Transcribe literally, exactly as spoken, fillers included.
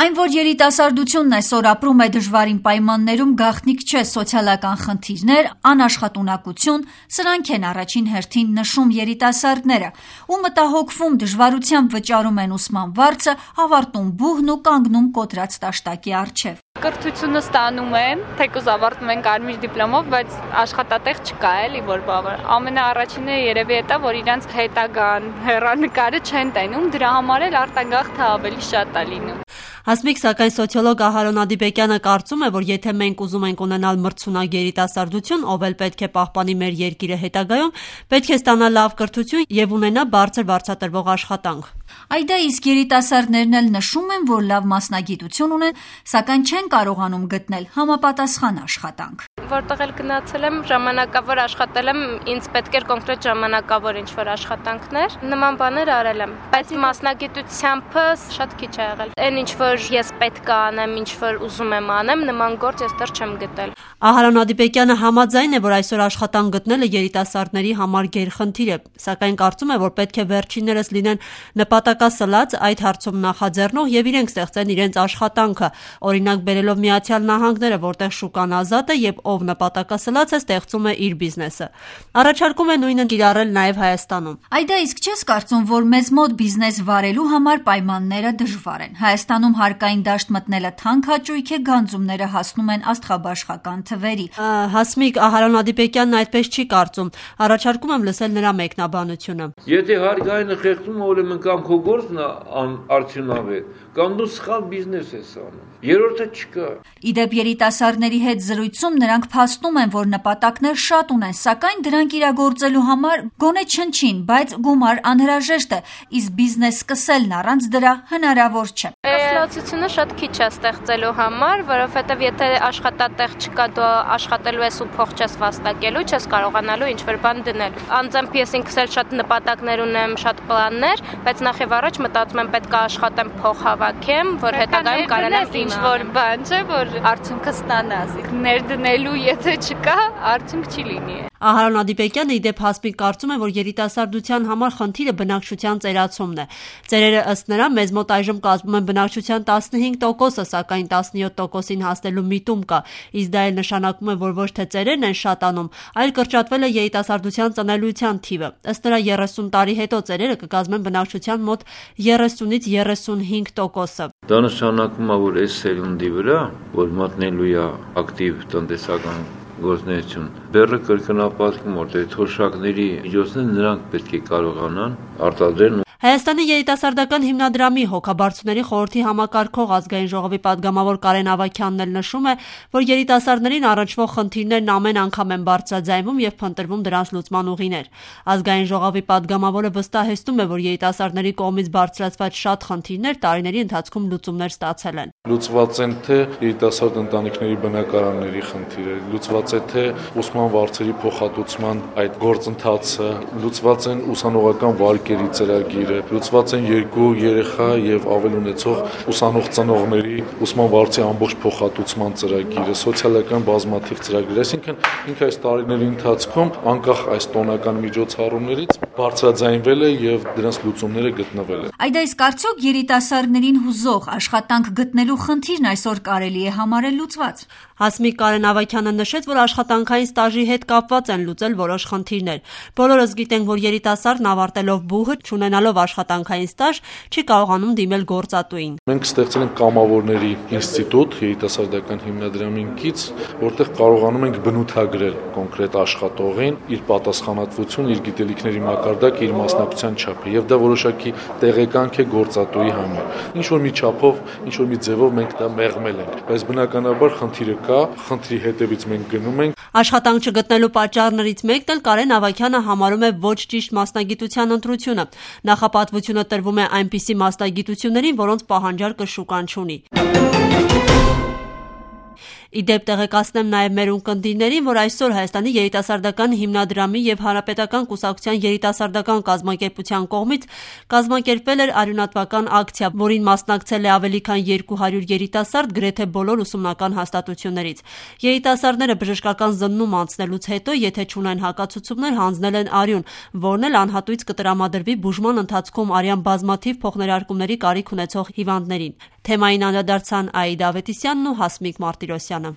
Այն, որ երիտասարդությունն այսօր ապրում է դժվարին պայմաններում, գաղտնիք չէ սոցիալական խնդիրներ, անաշխատունակություն, սրանք են առաջին հերթին նշում երիտասարդները, ու մտահոգվում դժվարությամբ վճարում են ուսման վարձը, ավարտում բուհն ու կանգնում կոտրած տաշտակի առջև։ Կրթությունը ստանում են, թեկուզ ավարտում են կարմիր դիպլոմով, բայց աշխատատեղ չկա էլի, որ բավար։ Ամենաառաջինը երևի է, որ իրանց հետագան հեռանկարը չեն տենում, դրա համար էլ արտագաղթը ավելի շատ է լինում։ Հասմիկ, սակայն սոցիոլոգ Ահարոն Ադիբեկյանը կարծում է, որ եթե մենք ուզում ենք ունենալ մրցունակ երիտասարդություն, ով էլ պետք է պահպանի մեր երկիրը հետագայում, պետք է ստանա լավ կրթություն եւ ունենա բարձր վարձատրվող աշխատանք։ Այդա իսկ երիտասարդներն էլ նշում են, որ լավ մասնագիտություն ունեն, սակայն չեն կարողանում գտնել համապատասխան աշխատանք։ Որտեղ էլ գնացել եմ, ժամանակավոր աշխատել եմ, ինձ պետք էր կոնկրետ ժամանակավոր ինչ-որ աշխատանքներ, նման բաներ արել եմ, բայց մասնագիտությամբ շատ քիչ է եղել։ Այն ինչ-որ ես պետք է անեմ, ինչ-որ ուզում եմ անեմ, նման գործ ես դեռ չեմ գտել։ Ահարոն Ադիբեկյանը համաձայն է, որ այսօր աշխատանք գտնելը երիտասարդների համար գերխնդիր է, սակայն կարծում է, որ պետք է վերջիններս լինեն նպատակասլաց, այդ հարցում նախաձեռնող եւ իրենք ստեղծեն իրենց աշխատանքը, օրինակ բերելով Միացյալ Նահանգները, որտեղ շուկան ազատ է եւ ով նպատակասլաց է, ստեղծում է իր բիզնեսը։ Առաջարկում է նույնը կիրառել նաեւ Հայաստանում։ Այդա իսկ չես կարծում, որ մեզ մոտ բիզնես վարելու համար պայմանները դժվար են։ Հայաստանում հարկային դաշտ մտնելը թանկ հաճույք է, գանձումները հասնում են աստղաբաշխական թվերի։ Հասմիկ, Ահարոն Ադիբեկյանն այդպես չի կարծում։ Առաջարկում եմ լսել նրա մեկնաբանությունը։ Եթե հարկայինը խեղդում է, ուրեմն կամ քո գործն արդյունավետ, կամ դու սխալ բիզնես ես անում։ Երրորդը չկա։ Իդեպ երիտասարդների հետ զրույցում նրանք փաստում են, որ նպատակներ շատ ունեն, սակայն դրանք իրագործելու համար գոնե չնչին, բայց գումար անհրաժեշտ է, իսկ բիզնես սկսելն առանց դրա հնարավոր չէ։ Կասլացությունը շատ քիչ է ստեղծելու համար, որովհետև եթե աշխատատեղ չկա, դու աշխատելու ես ու փող չես վաստակելու, չես կարողանալու ինչ-որ բան դնել։ Անձամբ ես ինքս էլ շատ նպատակներ ունեմ, շատ պլաններ, բայց նախ եւ առաջ մտածում եմ պետք է աշխատեմ, փող հավաքեմ, որ հետագայում կարողանամ ինչ-որ բան, չէ, որ արդյունքը ստանաս։ Ներդնելու եթե չկա, արդյունք չի լինի։ Ահարոն Ադիբեկյանը իդեպ Հասմիկ կարծում է, որ երիտասարդության համար խնդիրը բնակչության ծերացումն է։ Ծերերը ըստ նրա մեզ մոտ այժմ կազմում են բնակչության տասնհինգ տոկոսը, սակայն տասնյոթ տոկոսին հասնելու միտում կա, իսկ դա էլ նշանակում է, որ ոչ թե ծերերն են շատանում, այլ կրճատվել է երիտասարդության ծնելիության թիվը։ Ըստ նրա երեսուն տարի հետո ծերերը կկազմեն բնակչության մոտ երեսունից երեսունհինգ տոկոսը։ Դա նշանակում է, որ այս սերունդի վրա, որ մտնելու է ակտիվ տնտեսական գործունեություն, բեռը կրկնապատկում, որտեղ թոշակների միջոցներ նրանք պետք է կարողանան արտադրեն։ Հայաստանի երիտասարդական հիմնադրամի հոգաբարձուների խորհրդի համակարգող ազգային ժողովի պատգամավոր Կարեն Ավագյանն էլ նշում է, որ երիտասարդներին առնչվող խնդիրներն ամեն անգամ են բարձրաձայնվում եւ փնտրվում դրանց լուծման ուղիներ։ Ազգային ժողովի պատգամավորը վստահեցնում է, որ երիտասարդների կողմից բարձրացված շատ խնդիրներ տարիների ընթացքում լուծումներ ստացել են։ Լուծված են թե երիտասարդ ընտանիքների բնակարանների խնդիրը, լուծված է թե ուսման վարձերի փոխհատուցման այդ գործընթացը, լուծված են ուսանողական վարկերի ծրագիրը, լուծված են երկու երեխա եւ ավել ունեցող ուսանող ծնողների ուսման վարձի ամբողջ փոխհատուցման ծրագիրը, սոցիալական բազմաթիվ ծրագրեր, այսինքն ինքը այս տարիների ընթացքում անկախ այս տոնական միջոցառումներից բարձրաձայնվել է եւ դրանց լուծումները գտնվել են։ Այդ այս կարծոք երիտասարդներին հուզող աշխատանք գտնելու խնդիրն այսօր կարելի է համարել լուծված։ Հասմիկ Կարեն Ավագյանը նշեց, որ աշխատանքային ստաժի հետ կապված են լուծել որոշ խնդիրներ։ Բոլորս գիտենք, որ երիտասարդն ավարտելով բուհը, չունենալով աշխատանքային ստաժ, չի կարողանում դիմել գործատուին։ Մենք ստեղծել ենք կամավորների ինստիտուտ երիտասարդական հիմնադրամին կից, որտեղ կարողանում ենք բնութագրել կոնկրետ աշխատողին իր պատասխանատվություն, իր գիտելիքների մակարդակը, իր մասնակցության չափը, եւ դա որոշակի տեղեկանք է գործատուի համար։ Ինչ որ մի չափով, ինչ որ մի ձևով մենք դա մեղմել ենք, բայց բնականաբար խնդիրը կա, խնդրի հետևից մենք գնում ենք։ Աշխատանք չգտնելու պատճառներից մեկն էլ Կարեն Ավագյանը համարում է ոչ ճիշտ մասնագիտության ընտրությունը։ Նախապատվությունը տրվում է այնպիսի մասնագիտություններին, որոնց պահանջարկը շուկան չունի։ Իդեպ տեղեկացնեմ նաև մեր ունկնդիրներին, որ այսօր Հայաստանի երիտասարդական հիմնադրամի եւ Հանրապետական կուսակցության երիտասարդական կազմակերպության կողմից կազմակերպվել էր արյունատվական ակցիա, որին մասնակցել է ավելի քան երկու հարյուր երիտասարդ գրեթե բոլոր ուսումնական հաստատություններից։ Երիտասարդները բժշկական զննում անցնելուց հետո, եթե չունեն հակացուցումներ, հանձնել են արյուն, որն էլ անհատույց կտրամադրվի բուժման ընթացքում արյան բազմաթիվ փոխներարկումների կարիք ունեցող հիվանդներին։ Թեմային անդրադարձան Աիդա Ավետիսյանն ու Հասմիկ Մարտիրոսյանը։